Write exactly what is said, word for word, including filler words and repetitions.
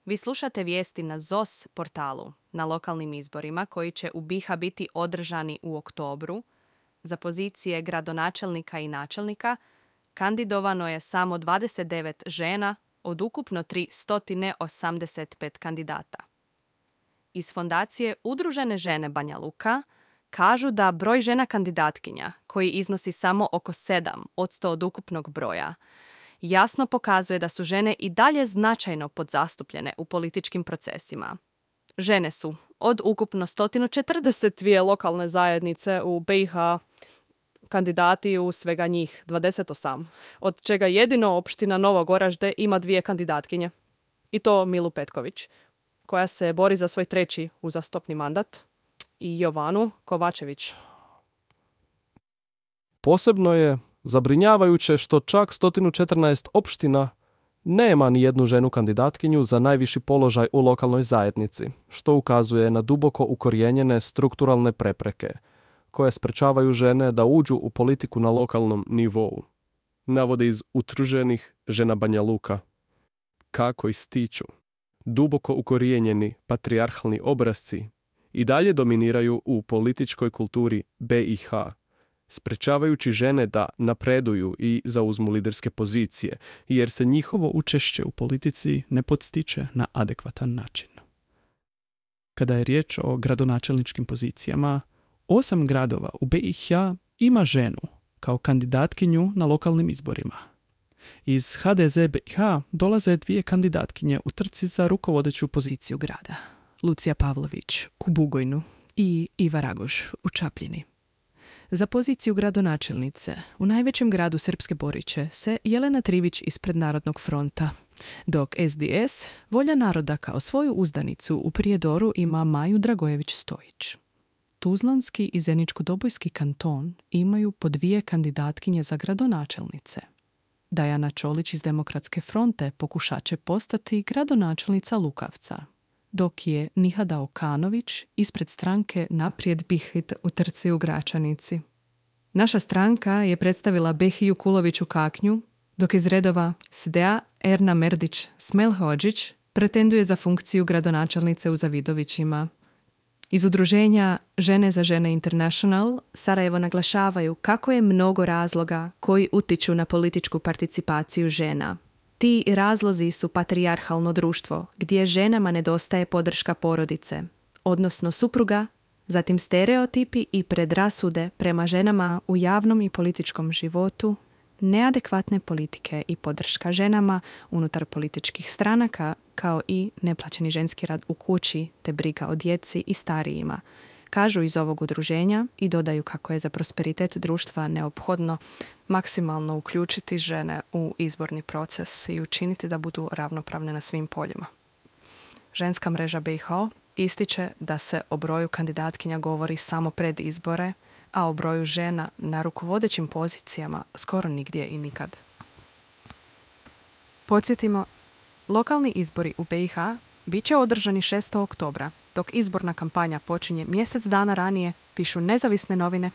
Vi slušate vijesti na Z O S portalu na lokalnim izborima koji će u B i H biti održani u oktobru. Za pozicije gradonačelnika i načelnika kandidovano je samo dvadeset devet žena od ukupno tristo osamdeset pet kandidata. Iz fondacije Udružene žene Banja Luka kažu da broj žena kandidatkinja, koji iznosi samo oko sedam posto od ukupnog broja, jasno pokazuje da su žene i dalje značajno podzastupljene u političkim procesima. Žene su od ukupno sto četrdeset dvije lokalne zajednice u B i H kandidati u svega njih dvadeset osam, od čega jedino opština Novo Goražde ima dvije kandidatkinje. I to Milu Petković, koja se bori za svoj treći uzastopni mandat, i Jovanu Kovačević. Posebno je zabrinjavajuće što čak sto četrnaest opština nema ni jednu ženu kandidatkinju za najviši položaj u lokalnoj zajednici, što ukazuje na duboko ukorijenjene strukturalne prepreke koje sprečavaju žene da uđu u politiku na lokalnom nivou. Navode iz Udruženih žena Banja Luka. Kako ističu, duboko ukorijenjeni patrijarhalni obrasci i dalje dominiraju u političkoj kulturi B i H, sprečavajući žene da napreduju i zauzmu liderske pozicije, jer se njihovo učešće u politici ne podstiče na adekvatan način. Kada je riječ o gradonačelničkim pozicijama, osam gradova u B i H ima ženu kao kandidatkinju na lokalnim izborima. Iz H D Z B i H dolaze dvije kandidatkinje u trci za rukovodeću poziciju grada. Lucija Pavlović u Bugojnu i Iva Ragoš u Čapljini. Za poziciju gradonačelnice u najvećem gradu Srpske Boriće se Jelena Trivić ispred Narodnog fronta, dok S D S Volja naroda kao svoju uzdanicu u Prijedoru ima Maju Dragojević-Stojić. Tuzlanski i Zeničko-Dobojski kanton imaju po dvije kandidatkinje za gradonačelnice. Dajana Čolić iz Demokratske fronte pokušat će postati gradonačelnica Lukavca, dok je Nihada Okanović ispred stranke Naprijed Bihit u trci u Gračanici. Naša stranka je predstavila Behiju Kuloviću Kaknju, dok iz redova S D A Erna Merdić Smelhođić pretenduje za funkciju gradonačelnice u Zavidovićima. Iz udruženja Žene za žene International Sarajevo naglašavaju kako je mnogo razloga koji utiču na političku participaciju žena. Ti razlozi su patrijarhalno društvo, gdje ženama nedostaje podrška porodice, odnosno supruga, zatim stereotipi i predrasude prema ženama u javnom i političkom životu, neadekvatne politike i podrška ženama unutar političkih stranaka, kao i neplaćeni ženski rad u kući te briga o djeci i starijima, kažu iz ovog udruženja i dodaju kako je za prosperitet društva neophodno maksimalno uključiti žene u izborni proces i učiniti da budu ravnopravne na svim poljima. Ženska mreža B i H ističe da se o broju kandidatkinja govori samo pred izbore, a o broju žena na rukovodećim pozicijama skoro nigdje i nikad. Podsjetimo, lokalni izbori u B i H bit će održani šestog oktobra, dok izborna kampanja počinje mjesec dana ranije, pišu nezavisne novine